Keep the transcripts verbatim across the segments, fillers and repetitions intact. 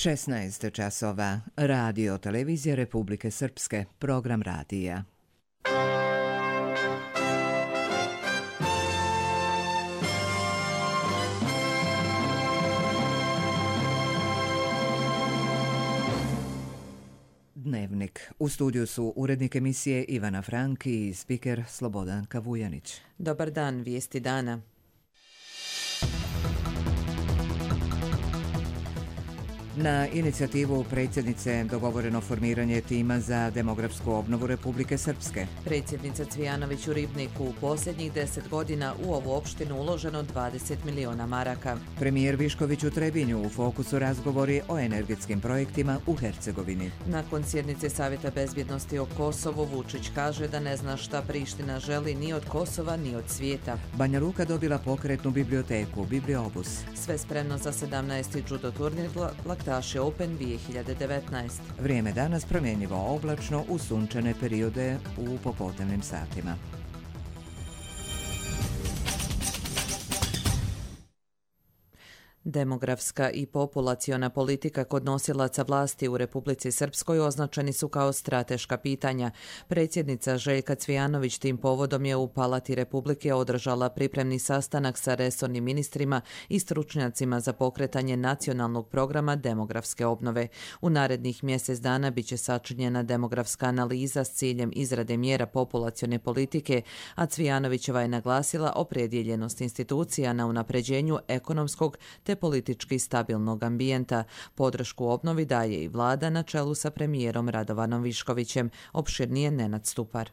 šesnaest časova. Radio Televizije Republike Srpske. Program radija. Dnevnik. U studiju su urednik emisije Ivana Franki i spiker Slobodan Kavujanić. Dobar dan, vijesti dana. Na inicijativu predsjednice dogovoreno formiranje tima za demografsku obnovu Republike Srpske. Predsjednica Cvijanović u Ribniku: u posljednjih deset godina u ovu opštinu uloženo dvadeset miliona maraka. Premijer Višković u Trebinju: u fokusu razgovori o energetskim projektima u Hercegovini. Nakon sjednice Savjeta bezbjednosti o Kosovu, Vučić kaže da ne zna šta Priština želi ni od Kosova ni od svijeta. Banja Luka dobila pokretnu biblioteku, Bibliobus. Sve spremno za sedamnaesti judo turnir Laktaši Open dvije hiljade devetnaest. Vrijeme danas promjenjivo oblačno u sunčane periode u popodnevnim satima. Demografska i populaciona politika kod nosilaca vlasti u Republici Srpskoj označeni su kao strateška pitanja. Predsjednica Željka Cvijanović tim povodom je u Palati Republike održala pripremni sastanak sa resornim ministrima i stručnjacima za pokretanje nacionalnog programa demografske obnove. U narednih mjesec dana bit će sačinjena demografska analiza s ciljem izrade mjera populacione politike, a Cvijanovićeva je naglasila opredjeljenost institucija na unapređenju ekonomskog te politički stabilnog ambijenta. Podršku obnovi daje i vlada na čelu sa premijerom Radovanom Viškovićem. Opširnije Nenad Stupar.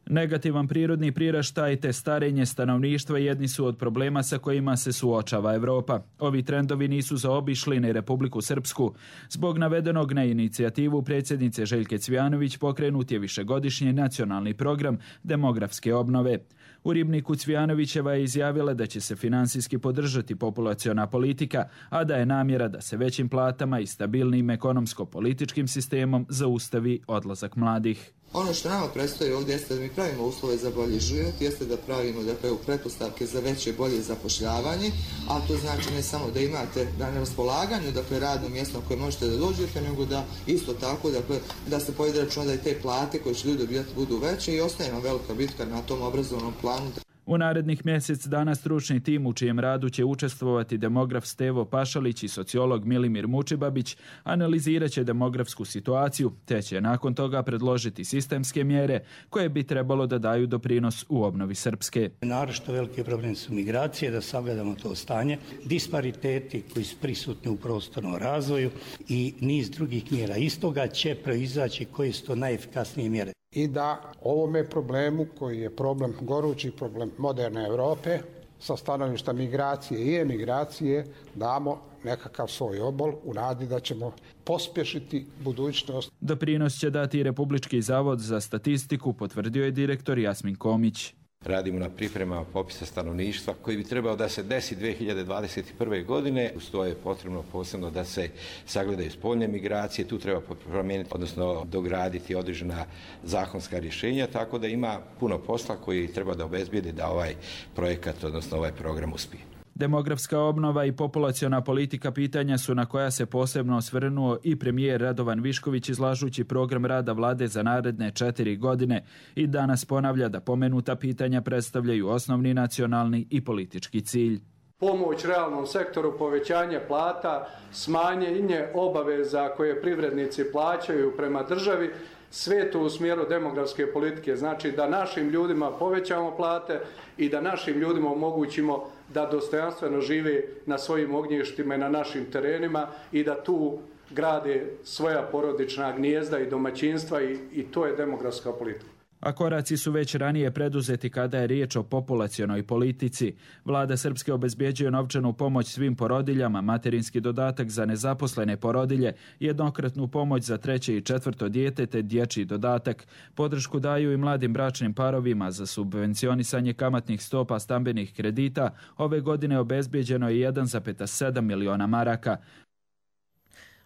Negativan prirodni priraštaj te starenje stanovništva jedni su od problema sa kojima se suočava Evropa. Ovi trendovi nisu zaobišli ni Republiku Srpsku. Zbog navedenog na inicijativu predsjednice Željke Cvijanović pokrenut je višegodišnji nacionalni program demografske obnove. U Ribniku Cvijanovićeva je izjavila da će se finansijski podržati populaciona politika, a da je namjera da se većim platama i stabilnim ekonomsko-političkim sistemom zaustavi odlazak mladih. Ono što nama predstoji ovdje jeste da mi pravimo uslove za bolji život, jeste da pravimo dakle, pretpostavke za veće bolje zapošljavanje, a to znači ne samo da imate da na raspolaganju dakle, radno mjesto na koje možete da dođete, nego da isto tako dakle, da se povede računa da i te plate koje će ljudi dobijati budu veće i ostaje nam velika bitka na tom obrazovnom planu. U narednih mjesec dana stručni tim u čijem radu će učestvovati demograf Stevo Pašalić i sociolog Milimir Mučibabić analizirat će demografsku situaciju, te će nakon toga predložiti sistemske mjere koje bi trebalo da daju doprinos u obnovi Srpske. Naročito veliki problem su migracije, da sagledamo to stanje, dispariteti koji su prisutni u prostornom razvoju i niz drugih mjera. Iz toga će proizaći koje su to najefikasnije mjere. I da ovome problemu koji je problem, gorući problem moderne Europe, sa stanovišta migracije i emigracije, damo nekakav svoj obol u nadi da ćemo pospješiti budućnost. Doprinos će dati Republički zavod za statistiku, potvrdio je direktor Jasmin Komić. Radimo na pripremama popisa stanovništva koji bi trebao da se desi dvije hiljade dvadeset prve. godine. Uz to je potrebno posebno da se sagledaju spoljne migracije. Tu treba promijeniti, odnosno dograditi određena zakonska rješenja, tako da ima puno posla koji treba da obezbijedi da ovaj projekat, odnosno ovaj program uspije. Demografska obnova i populaciona politika pitanja su na koja se posebno osvrnuo i premijer Radovan Višković izlažući program rada vlade za naredne četiri godine i danas ponavlja da pomenuta pitanja predstavljaju osnovni nacionalni i politički cilj. Pomoć realnom sektoru, povećanje plata, smanjenje obaveza koje privrednici plaćaju prema državi, sve to u smjeru demografske politike. Znači da našim ljudima povećamo plate i da našim ljudima omogućimo da dostojanstveno žive na svojim ognjištima i na našim terenima i da tu grade svoja porodična gnijezda i domaćinstva i, i to je demografska politika. A koraci su već ranije preduzeti kada je riječ o populacionoj politici. Vlada Srpske obezbjeđuje novčanu pomoć svim porodiljama, materinski dodatak za nezaposlene porodilje, jednokratnu pomoć za treće i četvrto dijete te dječji dodatak. Podršku daju i mladim bračnim parovima za subvencionisanje kamatnih stopa stambenih kredita. Ove godine obezbjeđeno je jedan zarez sedam miliona maraka.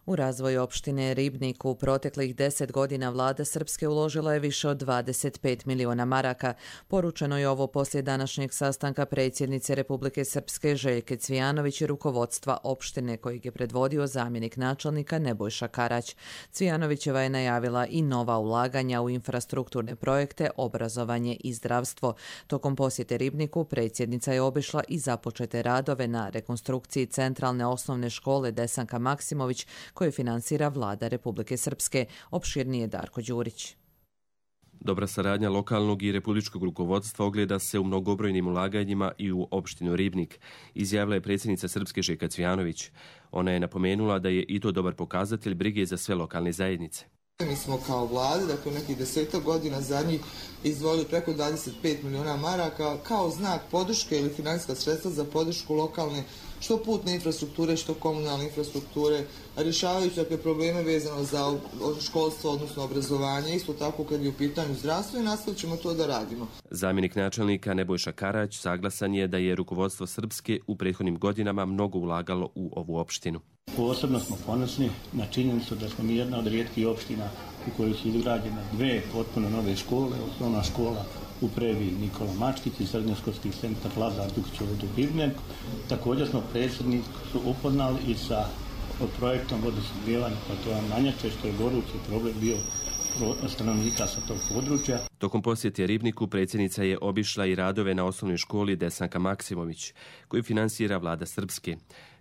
U razvoj opštine Ribnik u proteklih deset godina vlada Srpske uložila je više od dvadeset pet miliona maraka. Poručeno je ovo poslije današnjeg sastanka predsjednice Republike Srpske Željke Cvijanović i rukovodstva opštine kojeg je predvodio zamjenik načelnika Nebojša Karać. Cvijanovićeva je najavila i nova ulaganja u infrastrukturne projekte, obrazovanje i zdravstvo. Tokom posjete Ribniku predsjednica je obišla i započete radove na rekonstrukciji centralne osnovne škole Desanka Maksimović koje finansira vlada Republike Srpske. Opširnije Darko Đurić. Dobra saradnja lokalnog i republičkog rukovodstva ogleda se u mnogobrojnim ulaganjima i u opštinu Ribnik, izjavila je predsjednica Srpske Željka Cvijanović. Ona je napomenula da je i to dobar pokazatelj brige za sve lokalne zajednice. Mi smo kao vlada, dakle nekih desetak godina zadnjih izdvojili preko dvadeset pet miliona maraka kao znak podrške ili financijska sredstva za podršku lokalne što putne infrastrukture, što komunalne infrastrukture, rješavajući dakle probleme vezano za školstvo, odnosno obrazovanje, isto tako kad je u pitanju zdravstvo i nastavit ćemo to da radimo. Zamjenik načelnika Nebojša Karać saglasan je da je rukovodstvo Srpske u prethodnim godinama mnogo ulagalo u ovu opštinu. Posebno smo ponosni na činjenicu da smo mi jedna od rijetkih opština u kojoj su izgrađene dve potpuno nove škole, osnovna škola u Previ Nikola Mačkić i srednjoškolski centar Lazar Dukić u Ribniku. Također smo predsjednik su upoznali i sa projektom vodosnabdijevanja Platoa Manjače, što je gorući problem bio stanovnika sa tog područja. Tokom posjete Ribniku predsjednica je obišla i radove na osnovnoj školi Desanka Maksimović, koju finansira vlada Srpske.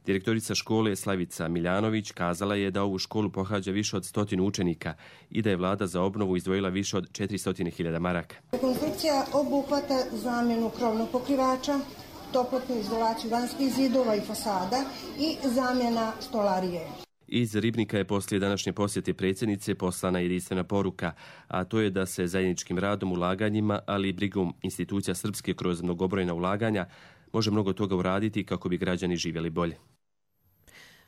Direktorica škole Slavica Miljanović kazala je da ovu školu pohađa više od stotinu učenika i da je vlada za obnovu izdvojila više od četiristo hiljada maraka. Rekonstrukcija obuhvata zamjenu krovnog pokrivača, toplotnu izolaciju vanjskih zidova i fasada i zamjena stolarije. Iz Ribnika je poslije današnje posjete predsjednice poslana jedinstvena poruka, a to je da se zajedničkim radom, ulaganjima, ali i brigom institucija Srpske kroz mnogobrojna ulaganja može mnogo toga uraditi kako bi građani živjeli bolje.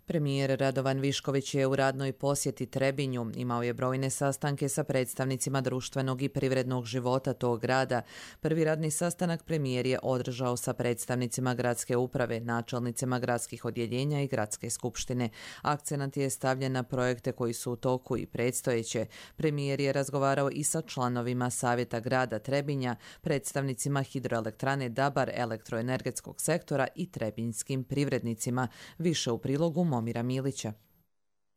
Premijer Radovan Višković je u radnoj posjeti Trebinju. Imao je brojne sastanke sa predstavnicima društvenog i privrednog života tog grada. Prvi radni sastanak premijer je održao sa predstavnicima gradske uprave, načelnicima gradskih odjeljenja i gradske skupštine. Akcenat je stavljen na projekte koji su u toku i predstojeće. Premijer je razgovarao i sa članovima Savjeta grada Trebinja, predstavnicima hidroelektrane Dabar, elektroenergetskog sektora i trebinjskim privrednicima. Više u prilogu Momira Milića.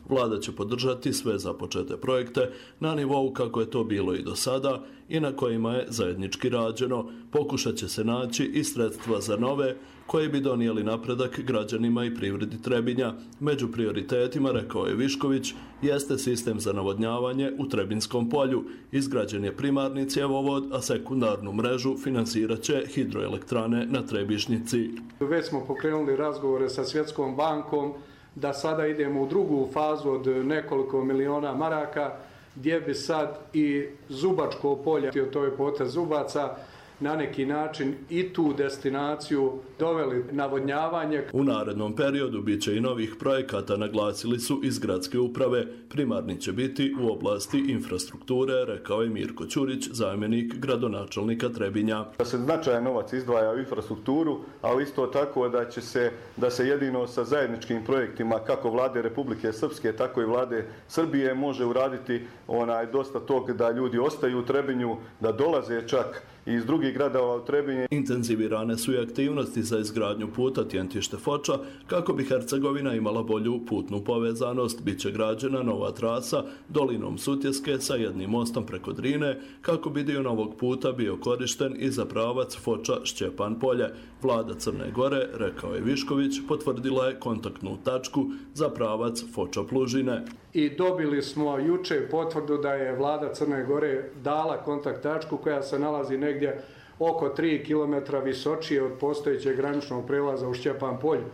Vlada će podržati sve započete projekte na nivou kako je to bilo i do sada i na kojima je zajednički rađeno. Pokušat će se naći i sredstva za nove koji bi donijeli napredak građanima i privredi Trebinja. Među prioritetima, rekao je Višković, jeste sistem za navodnjavanje u Trebinskom polju. Izgrađen je primarni cjevovod, a sekundarnu mrežu finansirat će hidroelektrane na Trebišnjici. Već smo pokrenuli razgovore sa Svjetskom bankom da sada idemo u drugu fazu od nekoliko miliona maraka, gdje bi sad i Zubačko polje, to je potez Zubaca, na neki način i tu destinaciju doveli navodnjavanje. U narednom periodu bit će i novih projekata, naglasili su iz gradske uprave. Primarni će biti u oblasti infrastrukture, rekao je Mirko Ćurić, zamjenik gradonačelnika Trebinja. Da se značajan novac izdvaja u infrastrukturu, ali isto tako da će se, da se jedino sa zajedničkim projektima kako vlade Republike Srpske, tako i vlade Srbije može uraditi onaj dosta tog da ljudi ostaju u Trebinju, da dolaze čak iz drugih gradova u Trebinje. Intenzivirane su i aktivnosti za izgradnju puta Tjentište-Foča kako bi Hercegovina imala bolju putnu povezanost. Biće građena nova trasa dolinom Sutjeske sa jednim mostom preko Drine kako bi dio novog puta bio korišten i za pravac Foča-Šćepan polje. Vlada Crne Gore, rekao je Višković, potvrdila je kontaktnu tačku za pravac Foča-Plužine. I dobili smo juče potvrdu da je vlada Crne Gore dala kontakt tačku koja se nalazi negdje oko tri kilometra visočije od postojećeg graničnog prelaza u Šćepan polju.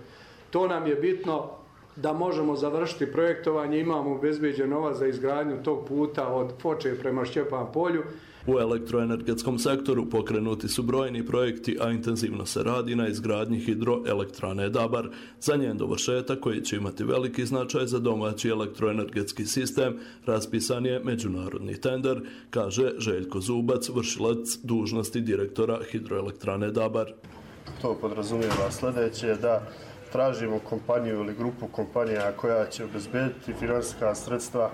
To nam je bitno da možemo završiti projektovanje, imamo obezbeđen novac za izgradnju tog puta od Foče prema Šćepan polju. U elektroenergetskom sektoru pokrenuti su brojni projekti, a intenzivno se radi na izgradnji hidroelektrane Dabar. Za njen dovršetak, koji će imati veliki značaj za domaći elektroenergetski sistem, raspisan je međunarodni tender, kaže Željko Zubac, vršilac dužnosti direktora hidroelektrane Dabar. To podrazumijeva sljedeće, da tražimo kompaniju ili grupu kompanija koja će obezbediti finansijska sredstva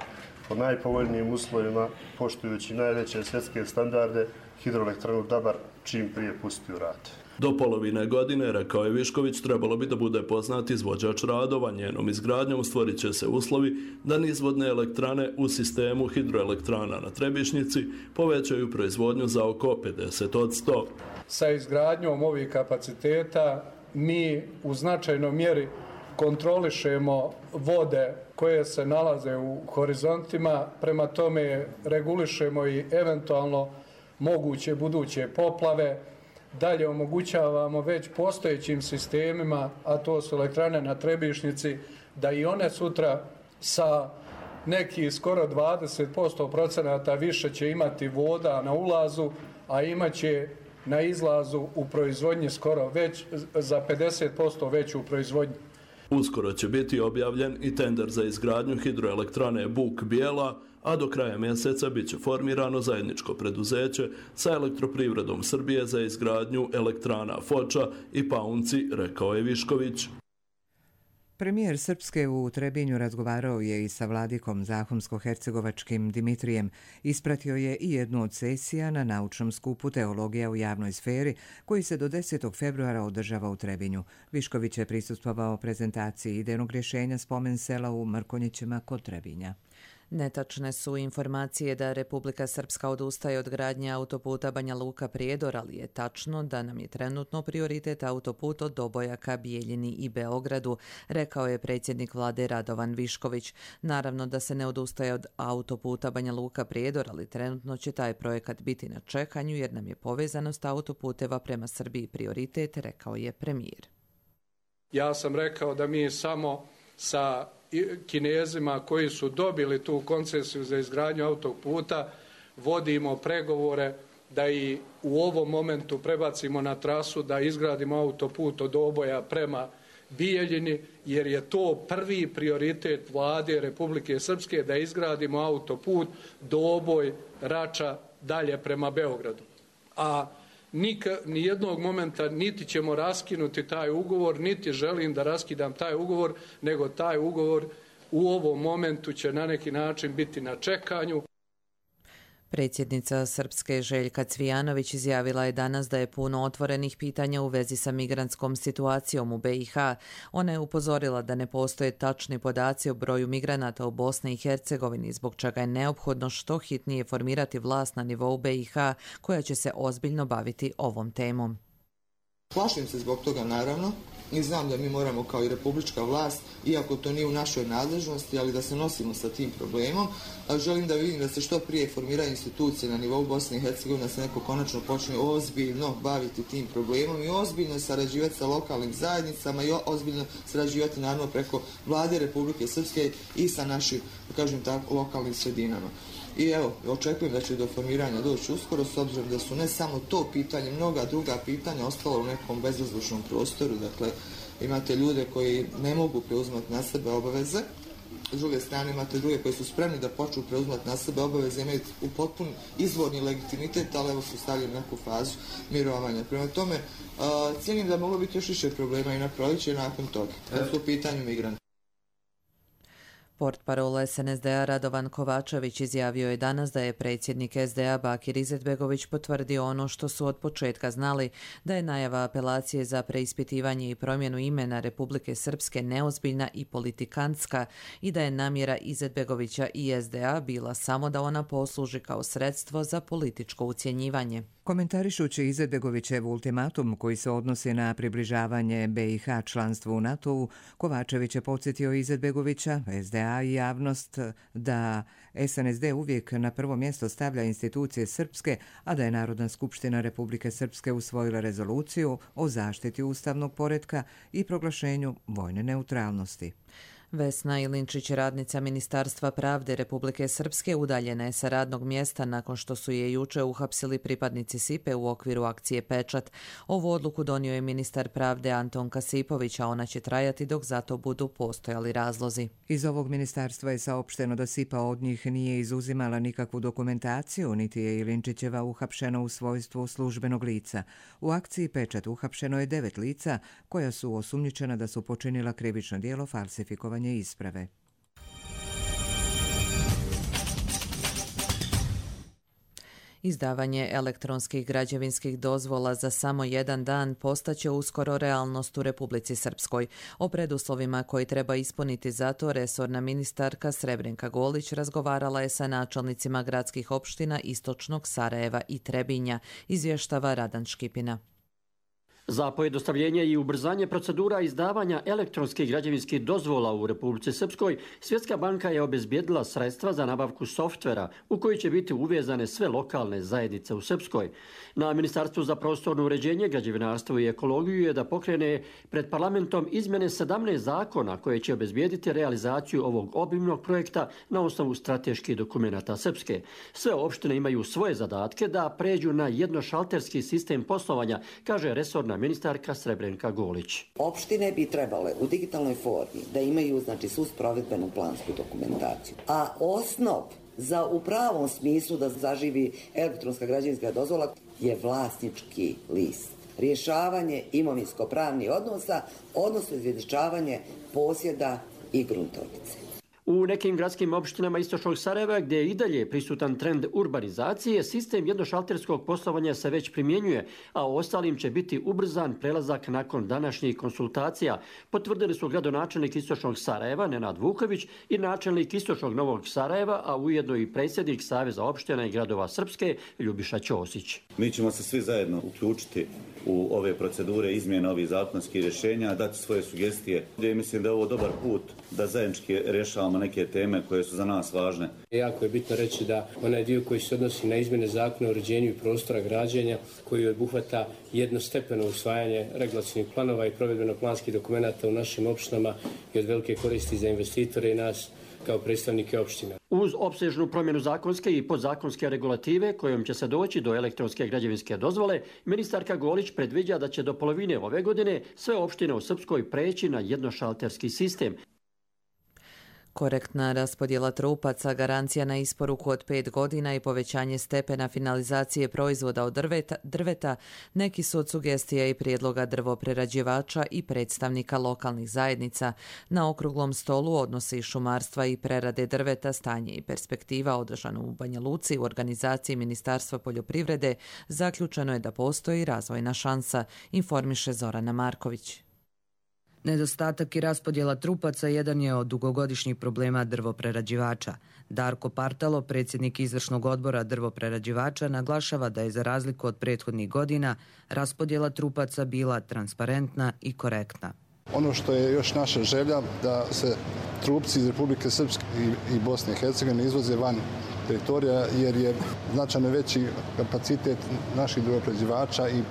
po najpovoljnijim uslovima, poštujući najveće svjetske standarde, hidroelektranu Dabar čim prije pusti u rad. Do polovine godine, rekao je Višković, trebalo bi da bude poznat izvođač radova. Njenom izgradnjom stvorit će se uslovi da nizvodne elektrane u sistemu hidroelektrana na Trebišnjici povećaju proizvodnju za oko pedeset posto. Sa izgradnjom ovih kapaciteta mi u značajnoj mjeri kontrolišemo vode koje se nalaze u horizontima, prema tome regulišemo i eventualno moguće buduće poplave. Dalje omogućavamo već postojećim sistemima, a to su elektrane na Trebišnjici, da i one sutra sa neki skoro dvadeset posto procenata više će imati voda na ulazu, a imat će na izlazu u proizvodnji skoro već za pedeset posto veću proizvodnju. Uskoro će biti objavljen i tender za izgradnju hidroelektrane Buk Bijela, a do kraja mjeseca bit će formirano zajedničko preduzeće sa Elektroprivredom Srbije za izgradnju elektrana Foča i Paunci, rekao je Višković. Premijer Srpske u Trebinju razgovarao je i sa vladikom zahumsko-hercegovačkim Dimitrijem. Ispratio je i jednu od sesija na naučnom skupu Teologija u javnoj sferi, koji se do desetog februara održava u Trebinju. Višković je prisustvovao prezentaciji idejnog rješenja spomen sela u Mrkonjićima kod Trebinja. Netačne su informacije da Republika Srpska odustaje od gradnje autoputa Banja Luka-Prijedor, ali je tačno da nam je trenutno prioritet autoput od Dobojaka, Bijeljini i Beogradu, rekao je predsjednik vlade Radovan Višković. Naravno da se ne odustaje od autoputa Banja Luka-Prijedor, ali trenutno će taj projekat biti na čekanju jer nam je povezanost autoputeva prema Srbiji prioritet, rekao je premijer. Ja sam rekao da mi samo sa Kinezima koji su dobili tu koncesiju za izgradnju autoputa vodimo pregovore da i u ovom momentu prebacimo na trasu da izgradimo autoput od Doboja prema Bijeljini, jer je to prvi prioritet vlade Republike Srpske da izgradimo autoput Doboj, Rača dalje prema Beogradu. A Nika, ni jednog momenta niti ćemo raskinuti taj ugovor, niti želim da raskidam taj ugovor, nego taj ugovor u ovom momentu će na neki način biti na čekanju. Predsjednica Srpske Željka Cvijanović izjavila je danas da je puno otvorenih pitanja u vezi sa migrantskom situacijom u B i H. Ona je upozorila da ne postoje tačni podaci o broju migranata u Bosni i Hercegovini, zbog čega je neophodno što hitnije formirati vlast na nivou B i H koja će se ozbiljno baviti ovom temom. Plašim se zbog toga, naravno, i znam da mi moramo kao i republička vlast, iako to nije u našoj nadležnosti, ali da se nosimo sa tim problemom. Želim da vidim da se što prije formiraju institucije na nivou Bosne i Hercegovine, da se neko konačno počne ozbiljno baviti tim problemom i ozbiljno sarađivati sa lokalnim zajednicama i ozbiljno sarađivati naravno preko vlade Republike Srpske i sa našim, da kažem tako, lokalnim sredinama. I evo, očekujem da će do formiranja doći uskoro, s obzirom da su ne samo to pitanje, mnoga druga pitanja ostala u nekom bezvazdušnom prostoru. Dakle, imate ljude koji ne mogu preuzimati na sebe obaveze, s druge strane imate druge koji su spremni da počnu preuzimati na sebe obaveze, imaju u potpun izvorni legitimitet, ali evo su stavili neku fazu mirovanja. Prema tome, uh, cijenim da moglo biti još više problema i na proljeće i nakon toga. Da su u pitanju migranti. Portparol S N S D A Radovan Kovačević izjavio je danas da je predsjednik S D A Bakir Izetbegović potvrdio ono što su od početka znali, da je najava apelacije za preispitivanje i promjenu imena Republike Srpske neozbiljna i politikantska i da je namjera Izetbegovića i S D A bila samo da ona posluži kao sredstvo za političko ucjenjivanje. Komentarišući Izetbegovićev ultimatum koji se odnosi na približavanje B i H članstvu u NATO-u, Kovačević je podsjetio Izetbegovića, S D A i javnost da S N S D uvijek na prvo mjesto stavlja institucije srpske, a da je Narodna skupština Republike Srpske usvojila rezoluciju o zaštiti ustavnog poretka i proglašenju vojne neutralnosti. Vesna Ilinčić, radnica Ministarstva pravde Republike Srpske, udaljena je sa radnog mjesta nakon što su je juče uhapsili pripadnici Sipe u okviru akcije Pečat. Ovu odluku donio je ministar pravde Anton Kasipović, a ona će trajati dok za to budu postojali razlozi. Iz ovog ministarstva je saopšteno da Sipa od njih nije izuzimala nikakvu dokumentaciju, niti je Ilinčićeva uhapšena u svojstvu službenog lica. U akciji Pečat uhapšeno je devet lica koja su osumnjičena da su počinila krivično djelo falsifikovanja isprave. Izdavanje elektronskih građevinskih dozvola za samo jedan dan postaće uskoro realnost u Republici Srpskoj. O preduslovima koji treba ispuniti za to resorna ministarka Srebrenka Golić razgovarala je sa načelnicima gradskih opština Istočnog Sarajeva i Trebinja, izvještava Radan Škipina. Za pojednostavljenje i ubrzanje procedura izdavanja elektronskih građevinskih dozvola u Republici Srpskoj, Svjetska banka je obezbijedila sredstva za nabavku softvera u koji će biti uvezane sve lokalne zajednice u Srpskoj. Na Ministarstvu za prostorno uređenje, građevinarstvo i ekologiju je da pokrene pred parlamentom izmjene sedamnaest zakona koje će obezbijediti realizaciju ovog obimnog projekta na osnovu strateških dokumenata Srpske. Sve opštine imaju svoje zadatke da pređu na jednošalterski sistem poslovanja, kaže resorna ministarka Srebrenka Golić. Opštine bi trebale u digitalnoj formi da imaju znači svu provedbenu plansku dokumentaciju. A osnov za u pravom smislu da zaživi elektronska građevinska dozvola je vlasnički list. Rješavanje imovinsko-pravnih odnosa, odnosno izvješćavanje posjeda i gruntovnice. U nekim gradskim opštinama Istočnog Sarajeva, gdje je i dalje prisutan trend urbanizacije, sistem jednošalterskog poslovanja se već primjenjuje, a ostalim će biti ubrzan prelazak nakon današnjih konsultacija, potvrdili su gradonačelnik Istočnog Sarajeva Nenad Vuković i načelnik Istočnog Novog Sarajeva, a ujedno i predsjednik Saveza opština i gradova Srpske Ljubiša Ćosić. Mi ćemo se svi zajedno uključiti u ove procedure izmjene ovih zakonskih rješenja, dati svoje sugestije. Ja mislim da je ovo dobar put da zajednički rješavamo neke teme koje su za nas važne. Jako je bitno reći da onaj dio koji se odnosi na izmjene zakona o uređenju i prostora građenja, koji obuhvata jednostepeno usvajanje regulacionih planova i provedbeno-planskih dokumenata u našim opštinama i od velike koristi za investitore i nas kao predstavnike opština. Uz opsežnu promjenu zakonske i podzakonske regulative kojom će se doći do elektronske građevinske dozvole, ministarka Golić predviđa da će do polovine ove godine sve opštine u Srpskoj preći na jednošalterski sistem. Korektna raspodjela trupaca, garancija na isporuku od pet godina i povećanje stepena finalizacije proizvoda od drveta, drveta neki su od sugestija i prijedloga drvoprerađivača i predstavnika lokalnih zajednica. Na okruglom stolu odnosi šumarstva i prerade drveta, stanje i perspektiva održano u Banja Luci u organizaciji Ministarstva poljoprivrede zaključeno je da postoji razvojna šansa, informiše Zorana Marković. Nedostatak i raspodjela trupaca jedan je od dugogodišnjih problema drvoprerađivača. Darko Partalo, predsjednik izvršnog odbora drvoprerađivača, naglašava da je za razliku od prethodnih godina raspodjela trupaca bila transparentna i korektna. Ono što je još naša želja da se trupci iz Republike Srpske i Bosne i Hercegovine izvoze van teritorija jer je značajno veći kapacitet naših drvoprerađivača i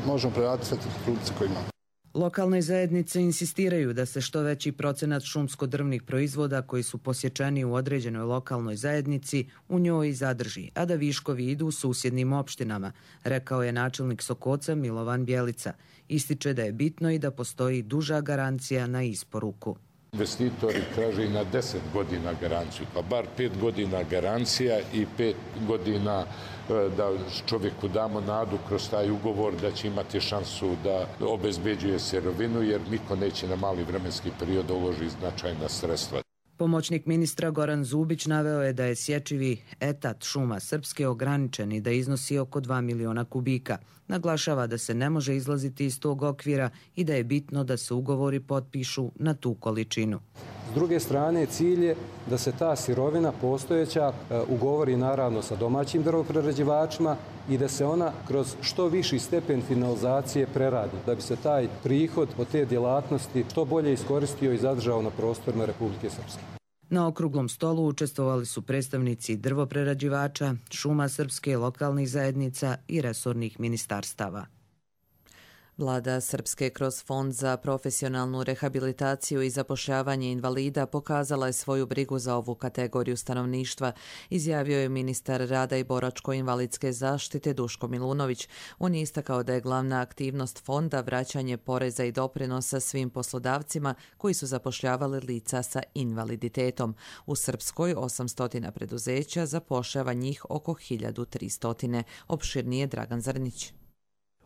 možemo preraditi sve trupce koje imamo. Lokalne zajednice insistiraju da se što veći procenat šumsko-drvnih proizvoda koji su posječeni u određenoj lokalnoj zajednici u njoj zadrži, a da viškovi idu u susjednim opštinama, rekao je načelnik Sokoca Milovan Bjelica. Ističe da je bitno i da postoji duža garancija na isporuku. Investitori traže i na deset godina garanciju, pa bar pet godina garancija i pet godina da čovjeku damo nadu kroz taj ugovor da će imati šansu da obezbeđuje sirovinu, jer niko neće na mali vremenski period da uloži značajna sredstva. Pomoćnik ministra Goran Zubić naveo je da je sječivi etat šuma Srpske ograničen i da iznosi oko dva miliona kubika. Naglašava da se ne može izlaziti iz tog okvira i da je bitno da se ugovori potpišu na tu količinu. S druge strane, cilj je da se ta sirovina postojeća ugovori naravno sa domaćim drvoprerađivačima i da se ona kroz što viši stepen finalizacije preradi, da bi se taj prihod od te djelatnosti što bolje iskoristio i zadržao na prostorima Republike Srpske. Na okruglom stolu učestvovali su predstavnici drvoprerađivača, šuma Srpske, lokalnih zajednica i resornih ministarstava. Vlada Srpske kroz Fond za profesionalnu rehabilitaciju i zapošljavanje invalida pokazala je svoju brigu za ovu kategoriju stanovništva, izjavio je ministar rada i boračko-invalidske zaštite Duško Milunović. On je istakao da je glavna aktivnost fonda vraćanje poreza i doprinosa svim poslodavcima koji su zapošljavali lica sa invaliditetom. U Srpskoj osamsto preduzeća zapošljava njih oko hiljadu tristo. Opširnije Dragan Zrnić.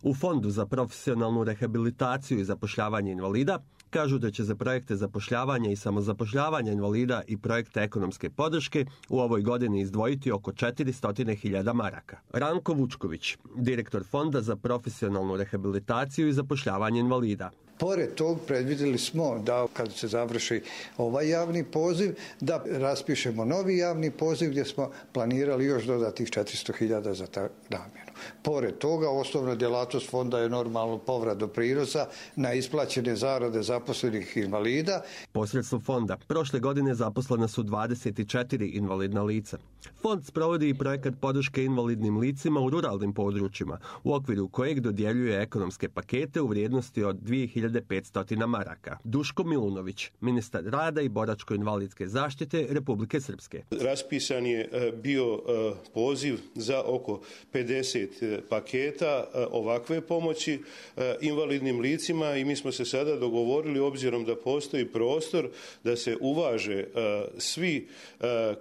U Fondu za profesionalnu rehabilitaciju i zapošljavanje invalida kažu da će za projekte zapošljavanja i samozapošljavanja invalida i projekte ekonomske podrške u ovoj godini izdvojiti oko četiristo hiljada maraka. Ranko Vučković, direktor Fonda za profesionalnu rehabilitaciju i zapošljavanje invalida. Pored tog predvidjeli smo da kad se završi ovaj javni poziv, da raspišemo novi javni poziv gdje smo planirali još dodatih četiristo hiljada za ta namjenu. Pored toga, osnovna djelatnost fonda je normalno povrat doprinosa na isplaćene zarade zaposlenih invalida. Posredstvom fonda prošle godine zaposlena su dvadeset četiri invalidna lica. Fond sprovodi i projekat podrške invalidnim licima u ruralnim područjima, u okviru kojeg dodjeljuje ekonomske pakete u vrijednosti od dvije hiljade petsto maraka. Duško Milunović, ministar rada i boračko-invalidske zaštite Republike Srpske. Raspisan je bio poziv za oko pedeset paketa ovakve pomoći invalidnim licima i mi smo se sada dogovorili, obzirom da postoji prostor da se uvaže svi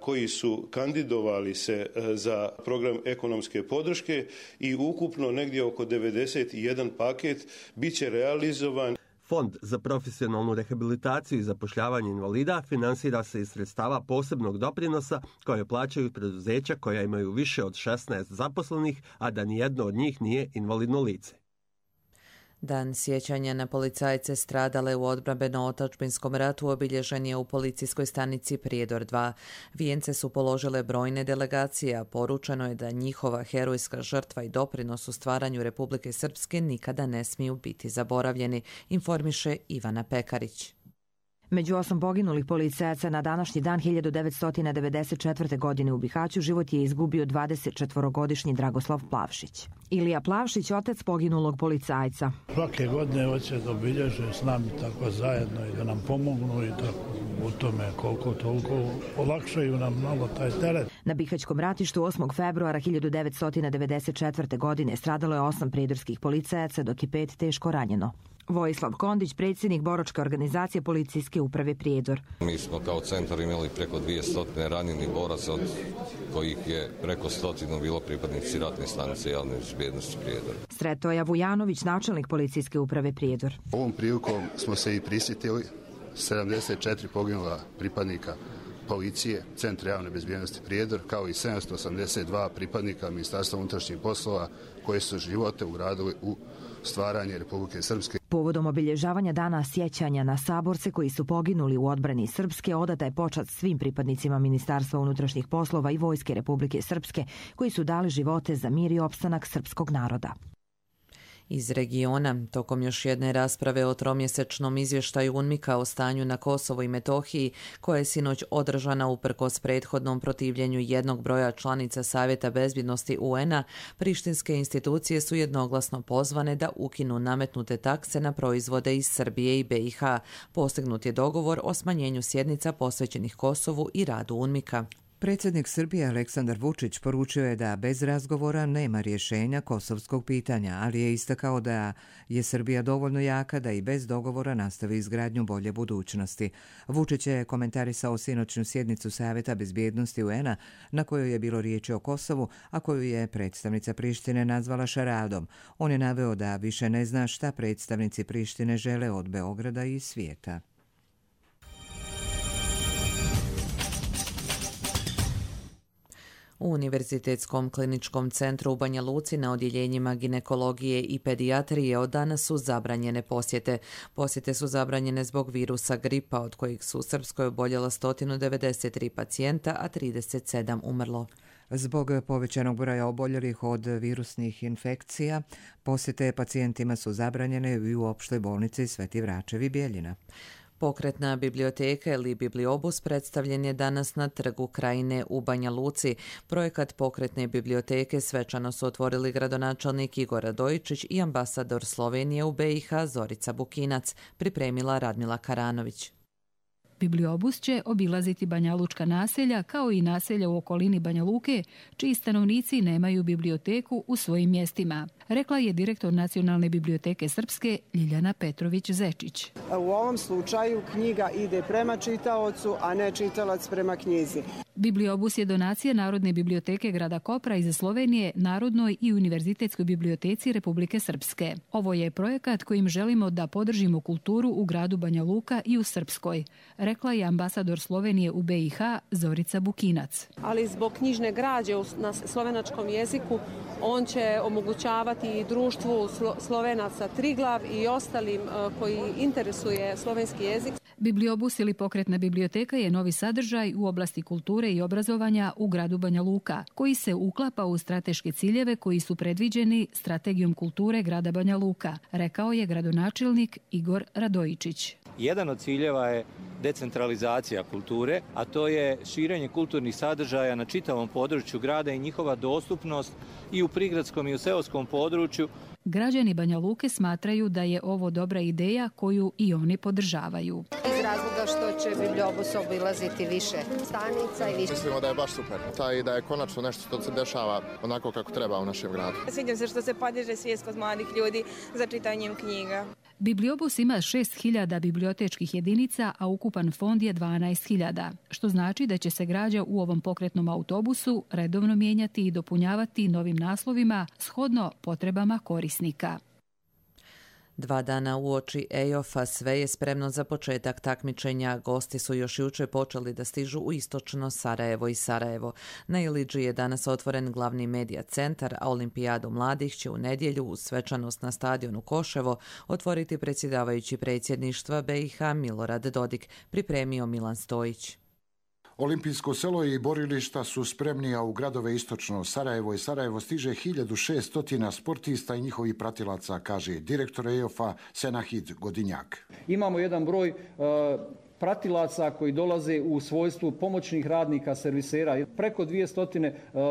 koji su kandidovali se za program ekonomske podrške i ukupno negdje oko devedeset jedan paket bit će realizovan. Fond za profesionalnu rehabilitaciju i zapošljavanje invalida finansira se iz sredstava posebnog doprinosa koje plaćaju preduzeća koja imaju više od šesnaest zaposlenih, a da nijedno od njih nije invalidno lice. Dan sjećanja na policajce stradale u odbrambeno-otadžbinskom ratu obilježen je u policijskoj stanici Prijedor dva. Vijence su položile brojne delegacije, a poručeno je da njihova herojska žrtva i doprinos u stvaranju Republike Srpske nikada ne smiju biti zaboravljeni, informiše Ivana Pekarić. Među osam poginulih policajaca na današnji dan hiljadu devetsto devedeset četvrte. godine u Bihaću život je izgubio dvadesetčetvorogodišnji Dragoslav Plavšić. Ilija Plavšić, otac poginulog policajca. Svake godine hoće da obilježe s nami tako zajedno i da nam pomognu i da u tome koliko toliko olakšaju nam malo taj teret. Na Bihaćkom ratištu osmog februara hiljadu devetsto devedeset četvrte. godine stradalo je osam pridorskih policajaca, dok je pet teško ranjeno. Vojislav Kondić, predsjednik boračke organizacije policijske uprave Prijedor. Mi smo kao centar imali preko dvjesto ranjenih boraca, od kojih je preko stotinu bilo pripadnici ratne stanice javne bezbjednosti Prijedor. Sretoja Vujanović, načelnik policijske uprave Prijedor. Ovom prilikom smo se i prisjetili sedamdeset četiri poginula pripadnika policije, Centra javne bezbjednosti Prijedor, kao i sedamsto osamdeset dva pripadnika Ministarstva unutrašnjih poslova koji su živote ugradili u stvaranje Republike Srpske. Povodom obilježavanja dana sjećanja na saborce koji su poginuli u odbrani Srpske, odata je počast svim pripadnicima Ministarstva unutrašnjih poslova i Vojske Republike Srpske koji su dali živote za mir i opstanak srpskog naroda. Iz regiona, tokom još jedne rasprave o tromjesečnom izvještaju UNMIK-a o stanju na Kosovu i Metohiji, koja je sinoć održana uprkos prethodnom protivljenju jednog broja članica Savjeta bezbjednosti U N-a, prištinske institucije su jednoglasno pozvane da ukinu nametnute takse na proizvode iz Srbije i B i H. Postignut je dogovor o smanjenju sjednica posvećenih Kosovu i radu UNMIK-a. Predsjednik Srbije Aleksandar Vučić poručio je da bez razgovora nema rješenja kosovskog pitanja, ali je istakao da je Srbija dovoljno jaka da i bez dogovora nastavi izgradnju bolje budućnosti. Vučić je komentarisao sinoćnu sjednicu Savjeta bezbjednosti U N-a na kojoj je bilo riječi o Kosovu, a koju je predstavnica Prištine nazvala šaradom. On je naveo da više ne zna šta predstavnici Prištine žele od Beograda i svijeta. U Univerzitetskom kliničkom centru u Banja Luci na odjeljenjima ginekologije i pedijatrije od danas su zabranjene posjete. Posjete su zabranjene zbog virusa gripa, od kojih su u Srpskoj oboljela sto devedeset tri pacijenta, a trideset sedam umrlo. Zbog povećanog broja oboljelih od virusnih infekcija, posjete pacijentima su zabranjene i u opštoj bolnici Sveti Vračevi Bijeljina. Pokretna biblioteka ili Bibliobus predstavljen je danas na Trgu Krajine u Banja Luci. Projekat pokretne biblioteke svečano su otvorili gradonačelnik Igor Radojičić i ambasador Slovenije u B i H Zorica Bukinac, pripremila Radmila Karanović. Bibliobus će obilaziti banjalučka naselja kao i naselja u okolini Banja Luke, čiji stanovnici nemaju biblioteku u svojim mjestima, rekla je direktor Nacionalne biblioteke Srpske Ljiljana Petrović-Zečić. U ovom slučaju knjiga ide prema čitaocu, a ne čitalac prema knjizi. Bibliobus je donacija Narodne biblioteke grada Kopra iz Slovenije Narodnoj i Univerzitetskoj biblioteci Republike Srpske. Ovo je projekat kojim želimo da podržimo kulturu u gradu Banja Luka i u Srpskoj, rekla je ambasador Slovenije u B i H Zorica Bukinac. Ali zbog knjižne građe na slovenačkom jeziku on će omogućavati i društvu Slovenaca Triglav i ostalim koji interesuje slovenski jezik. Bibliobus ili pokretna biblioteka je novi sadržaj u oblasti kulture i obrazovanja u gradu Banja Luka, koji se uklapa u strateške ciljeve koji su predviđeni Strategijom kulture grada Banja Luka, rekao je gradonačelnik Igor Radojičić. Jedan od ciljeva je decentralizacija kulture, a to je širenje kulturnih sadržaja na čitavom području grada i njihova dostupnost i u prigradskom i u seoskom području. Građani Banja Luke smatraju da je ovo dobra ideja koju i oni podržavaju. Iz razloga što će Bibliobus obilaziti više stanica i više. Mislimo da je baš super. Ta i da je konačno nešto što se dešava onako kako treba u našem gradu. Sviđam se što se podiže svijest kod mladih ljudi za čitanjem knjiga. Bibliobus ima šest hiljada bibliotečkih jedinica, a ukupan fond je dvanaest hiljada, što znači da će se građa u ovom pokretnom autobusu redovno mijenjati i dopunjavati novim naslovima shodno potrebama korisnika. Dva dana uoči E I O F-a sve je spremno za početak takmičenja. Gosti su još jučer počeli da stižu u istočno Sarajevo i Sarajevo. Na Ilidži je danas otvoren glavni medija centar, a Olimpijadu mladih će u nedjelju uz svečanost na stadionu Koševo otvoriti predsjedavajući predsjedništva B i H Milorad Dodik, pripremio Milan Stojić. Olimpijsko selo i borilišta su spremni, a u gradove istočno Sarajevo i Sarajevo stiže hiljadu šesto sportista i njihovih pratilaca, kaže direktor E I O F-a Senahid Godinjak. Imamo jedan broj uh, pratilaca koji dolaze u svojstvu pomoćnih radnika, servisera, preko dvjesto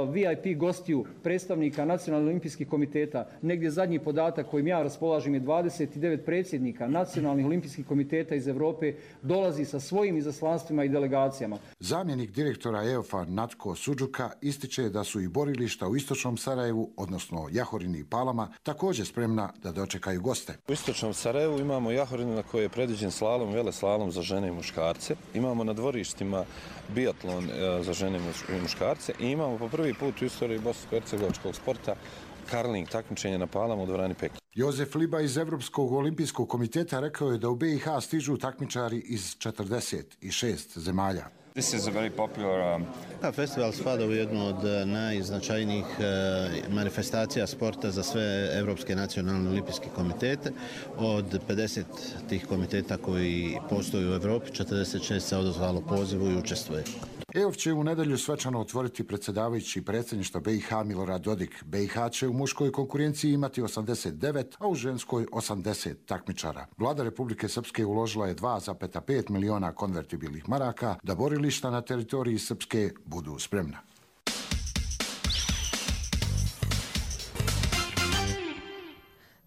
V I P gostiju, predstavnika Nacionalnog olimpijskih komiteta. Negdje zadnji podatak kojim ja raspolažem je dvadeset devet predsjednika Nacionalnih olimpijskih komiteta iz Europe dolazi sa svojim izaslanstvima i delegacijama. Zamjenik direktora E I O F-a Natko Suđuka ističe da su i borilišta u istočnom Sarajevu, odnosno Jahorini i Palama, također spremna da dočekaju goste. U istočnom Sarajevu imamo Jahorinu na kojoj je predviđen slalom, veleslalom za žene i muškarce. Imamo na dvorištima biatlon za žene i muškarce i imamo po prvi put u istoriji bosansko-hercegovačkog sporta karling takmičenja na Palama u dvorani Peking. Jozef Liba iz Evropskog olimpijskog komiteta rekao je da u B i H stižu takmičari iz četrdeset šest zemalja. This is a very popular, um... Festival spada u jednu od najznačajnijih manifestacija sporta za sve Evropske nacionalne olimpijske komitete. Od pedeset tih komiteta koji postoji u Evropi, četrdeset šest se odazvalo pozivu i učestvuje. E I O F će u nedjelju svečano otvoriti predsjedavajući predsjedništva B i H Milorad Dodik. B i H će u muškoj konkurenciji imati osamdeset devet, a u ženskoj osamdeset takmičara. Vlada Republike Srpske uložila je dva zarez pet miliona konvertibilnih maraka da borilišta na teritoriji Srpske budu spremna.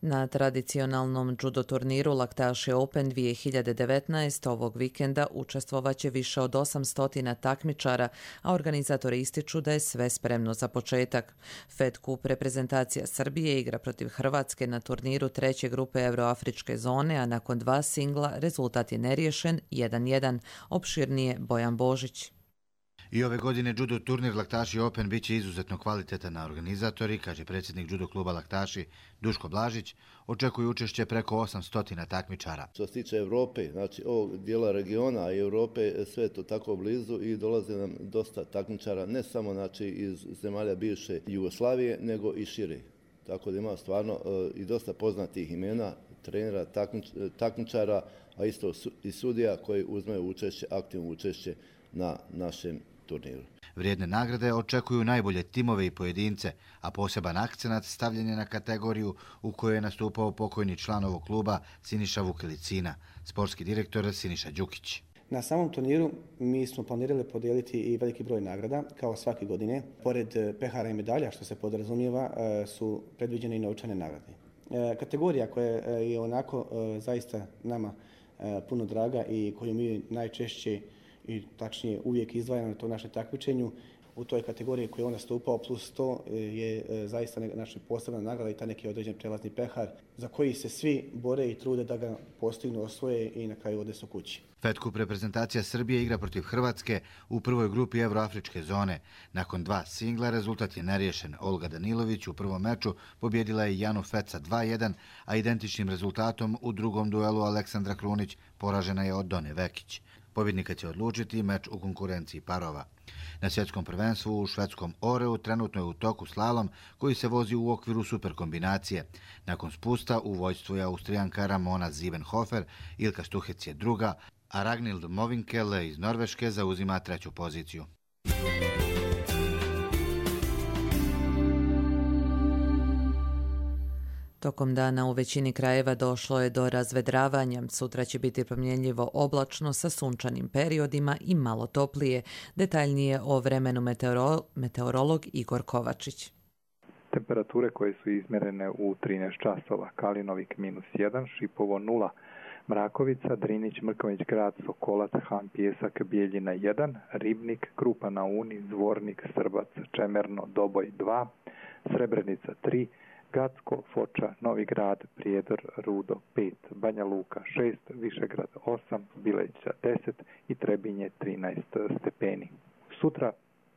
Na tradicionalnom judo turniru Laktaši Open dvije hiljade devetnaest ovog vikenda učestvovaće više od osamsto takmičara, a organizatori ističu da je sve spremno za početak. Fed Cup reprezentacija Srbije igra protiv Hrvatske na turniru treće grupe Euroafričke zone, a nakon dva singla rezultat je neriješen jedan jedan. Opširnije Bojan Božić. I ove godine judo turnir Laktaši Open biće izuzetno kvalitetan, a organizatori, kaže predsjednik judo kluba Laktaši Duško Blažić, očekuju učešće preko osamsto takmičara. Što se tiče Europe, znači ovog dijela regiona i Europe, sve je to tako blizu i dolaze nam dosta takmičara, ne samo znači iz zemalja bivše Jugoslavije, nego i šire. Tako da ima stvarno uh, i dosta poznatih imena, trenera, takmič, takmičara, a isto i sudija koji uzmeju učešće, aktivno učešće na našem turniru. Vrijedne nagrade očekuju najbolje timove i pojedince, a poseban akcenat stavljen je na kategoriju u kojoj je nastupao pokojni član ovog kluba Siniša Vukelicina, sportski direktor Siniša Đukić. Na samom turniru mi smo planirali podijeliti i veliki broj nagrada, kao svake godine. Pored pehara i medalja, što se podrazumijeva, su predviđene i novčane nagrade. Kategorija koja je onako zaista nama puno draga i koju mi najčešće i tačnije uvijek izdvajamo na to naše takmičenju, u toj kategoriji koju je on nastupao plus to je zaista naša posebna nagrada i ta neki određen prelazni pehar za koji se svi bore i trude da ga postignu, osvoje i na kraju odesu kući. Fed Cup reprezentacija Srbije igra protiv Hrvatske u prvoj grupi Evroafričke zone. Nakon dva singla rezultat je neriješen. Olga Danilović u prvom meču pobjedila je Janu Feca dva jedan, a identičnim rezultatom u drugom duelu Aleksandra Krunić poražena je od Done Vekić. Pobjednika će odlučiti meč u konkurenciji parova. Na svjetskom prvenstvu u švedskom Oreu trenutno je u toku slalom koji se vozi u okviru superkombinacije. Nakon spusta u vođstvu je Austrijanka Ramona Ziebenhofer, Ilka Stuhec je druga, a Ragnhild Mowinckel iz Norveške zauzima treću poziciju. Tokom dana u većini krajeva došlo je do razvedravanja. Sutra će biti promjenjivo oblačno sa sunčanim periodima i malo toplije. Detaljnije o vremenu meteoro, meteorolog Igor Kovačić. Temperature koje su izmjerene u trinaest časova: Kalinovik minus jedan, Šipovo nula, Mrakovica, Drinić, Mrković grad, Sokolac, Han, Pijesak, Bijeljina jedan, Ribnik, Krupa na Uni, Zvornik, Srbac, Čemerno, Doboj dva, Srebrenica tri, Gacko, Foča, Novi Grad, Prijedor, Rudo pet, Banja Luka šest, Višegrad osam, Bileća deset i Trebinje trinaest stepeni. Sutra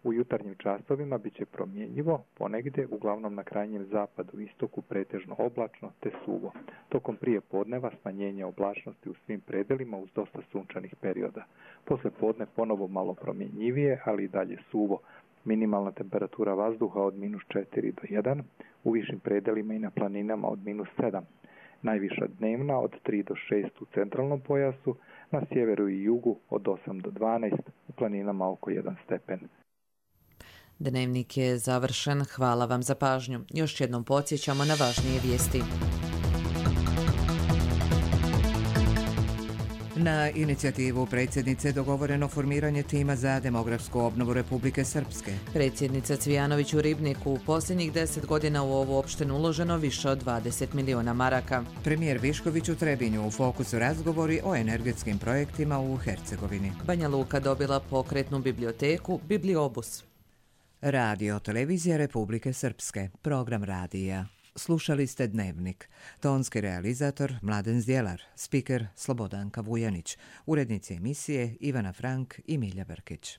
u jutarnjim časovima bit će promjenjivo, ponegdje, uglavnom na krajnjem zapadu, istoku pretežno oblačno te suvo. Tokom prije podneva smanjenje oblačnosti u svim predelima uz dosta sunčanih perioda. Posle podne ponovo malo promjenjivije, ali i dalje suvo. Minimalna temperatura vazduha od minus četiri do jedan, u višim predelima i na planinama od minus sedam. Najviša dnevna od tri do šest u centralnom pojasu, na sjeveru i jugu od osam do dvanaest, u planinama oko jedan stepen. Dnevnik je završen. Hvala vam za pažnju. Još jednom podsjećamo na važnije vijesti. Na inicijativu predsjednice dogovoreno formiranje tima za demografsku obnovu Republike Srpske. Predsjednica Cvijanović u Ribniku: u posljednjih deset godina u ovu opštinu uloženo više od dvadeset miliona maraka. Premijer Višković u Trebinju: u fokusu razgovori o energetskim projektima u Hercegovini. Banja Luka dobila pokretnu biblioteku Bibliobus. Radio Televizija Republike Srpske, program radija. Slušali ste Dnevnik. Tonski realizator Mladen Zdjelar, spiker Slobodanka Vujanić, urednici emisije Ivana Frank i Milja Brkić.